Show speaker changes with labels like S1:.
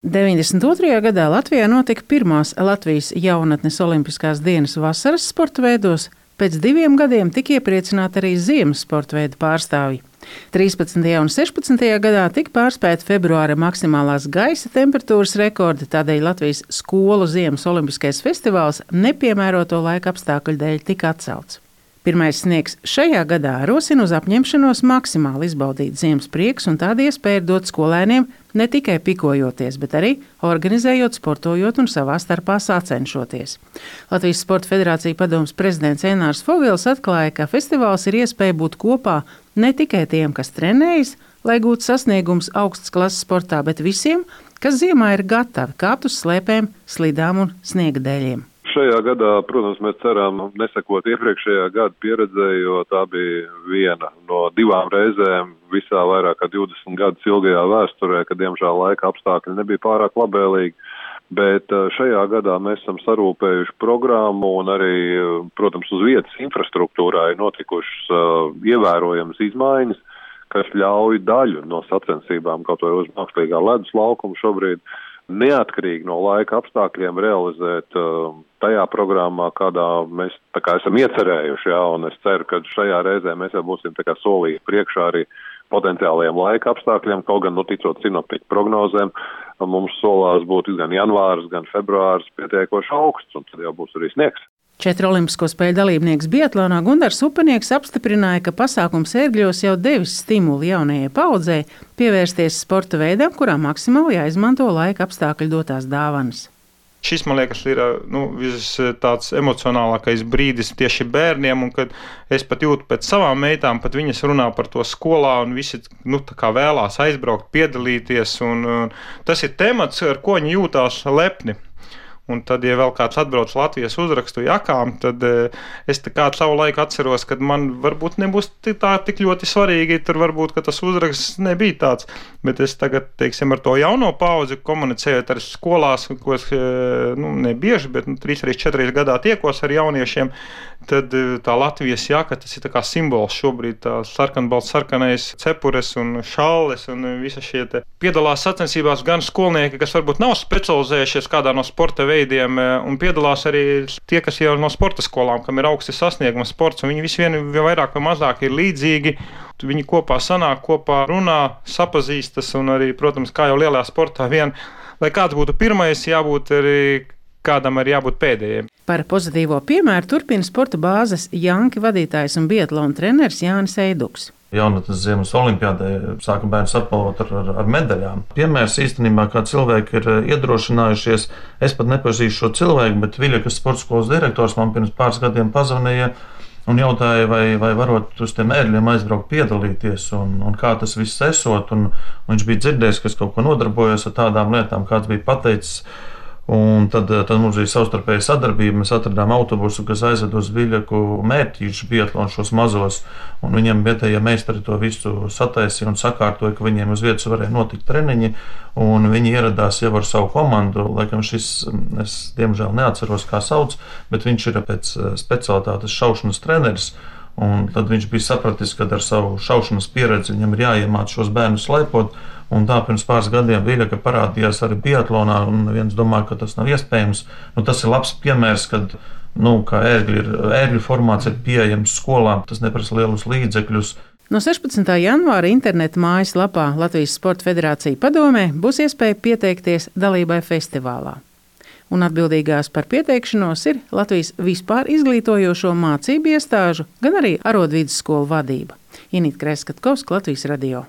S1: 92. gadā Latvijā notika pirmās Latvijas jaunatnes olimpiskās dienas vasaras sporta veidos, pēc 2 gadiem tika iepriecināti arī ziemas sporta veidu pārstāvji. 13. un 16. gadā tika pārspēti februāra maksimālās gaisa temperatūras rekordi, tādēļ Latvijas skolu ziemas olimpiskais festivāls nepiemēroto laika apstākļu dēļ tika atcelts. Pirmais sniegs šajā gadā rosina uz apņemšanos maksimāli izbaudīt ziemas priekus un tādu iespēju dot skolēniem ne tikai pikojoties, bet arī organizējot, sportojot un savā starpā sacenšoties. Latvijas Sporta federācija padomes prezidents Ēnārs Fogels atklāja, ka festivāls ir iespēja būt kopā ne tikai tiem, kas trenējas, lai gūtu sasniegumus augstas klases sportā, bet visiem, kas ziemā ir gatavi kāpt uz slēpēm, slidām un sniega dēļiem.
S2: Šajā gadā, protams, mēs ceram nesekot iepriekšējā gada pieredzei, jo tā bija viena no 2 reizēm visā vairāk kā 20 gadus ilgajā vēsturē, kad diemžēl laika apstākļi nebija pārāk labvēlīgi. Bet šajā gadā mēs esam sarūpējuši programmu un arī, protams, uz vietas infrastruktūrā ir notikušas ievērojamas izmaiņas, kas ļauj daļu no sacensībām, kaut vai uz mākslīgā ledus laukuma šobrīd, neatkarīgi no laika apstākļiem realizēt tajā programmā, kādā mēs esam iecerējuši, un es ceru, ka šajā reizē mēs jau būsim solīti priekšā arī potenciālajiem laika apstākļiem, kaut gan, ticot sinoptiķu prognozēm, mums solās būt gan janvārs, gan februārs pietiekoši augsts, un tad jau būs arī sniegs.
S1: 4 olimpisko spēļu dalībnieks biatlonā Gundars Upenieks apstiprināja, ka pasākums Ērgļos jau devis stimulu jaunajai paudzei pievērsties sporta veidam, kurā maksimāli jāizmanto laika apstākļu dotās dāvanas.
S3: Šis, man liekas, ir tāds emocionālākais brīdis tieši bērniem, un kad es pat jūtu pēc savām meitām, pat viņas runā par to skolā, un visi vēlās aizbraukt, piedalīties, un tas ir temats, ar ko viņi jūtās lepni. Un tad, ja vēl kāds atbrauc Latvijas uzrakstu jakām, tad es savu laiku atceros, ka man varbūt nebūs tā tik ļoti svarīgi, tur varbūt, ka tas uzraksts nebija tāds. Bet es tagad, ar to jauno paudzi komunicējot ar skolās, ko es nebieži, bet 3-4 gadā tiekos ar jauniešiem, tad tā Latvijas jaka, tas ir kā simbols šobrīd, tā sarkanais cepures un šalles un visa šie te piedalās sacensībās gan skolnieki, kas varbūt nav specializējušies kādā no sporta veidiem, un piedalās arī tie, kas jau no sporta skolām, kam ir augsti sasnieguma sports, un viņi visi vairāk vai mazāk ir līdzīgi. Viņi kopā sanāk, kopā runā, sapazīstas, un arī, protams, kā jau lielajā sportā lai kāds būtu pirmais, jābūt arī kādam arī jābūt pēdējiem.
S1: Par pozitīvo piemēru turpina sporta bāzes Janki vadītājs un biatlona treneris Jānis Eiduks.
S4: Jaunatnes ziemas olimpiādē sāka bērns apbalvot ar medaļām. Piemērs īstenībā, kā cilvēki ir iedrošinājušies, es pat nepazīstu šo cilvēku, bet Viļakas sporta skolas direktors man pirms pāris gadiem pazvanīja un jautāja, vai varot uz tiem ērgļiem aizbraukt piedalīties un kā tas viss esot. Un viņš bija dzirdējis, ka es kaut ko nodarbojos ar tādām lietām, kāds bija pateicis. Un tad mums bija savstarpēja sadarbība. Mēs atradām autobusu, kas aizved uz Viļaku mērķīšu biatlonu šos mazos. Un viņiem vietējie meistari to visu sataisīja un sakārtoja, ka viņiem uz vietas varēja notikt treniņi. Un viņi ieradās jau ar savu komandu. Laikam šis, es diemžēl neatceros, kā sauc, bet viņš ir pēc specialitātes šaušanas treneris. Un tad viņš bija sapratis, ka ar savu šaušanas pieredzi viņam ir jāiemāc šos bērnus slēpot. Un tā pirms pāris gadiem Viļaka parādījās arī biatlonā, un viens domā, ka tas nav iespējams. Tas ir labs piemērs, kad ērgļu formāts ir pieejams skolām, tas neprasa lielus līdzekļus.
S1: No 16. janvāra interneta mājaslapā Latvijas Sporta federācija padomē būs iespēja pieteikties dalībai festivālā. Un atbildīgās par pieteikšanos ir Latvijas vispār izglītojošo mācību iestāžu, gan arī arodvidusskolu vadība. Inīte Kreskatkovska, Latvijas radio.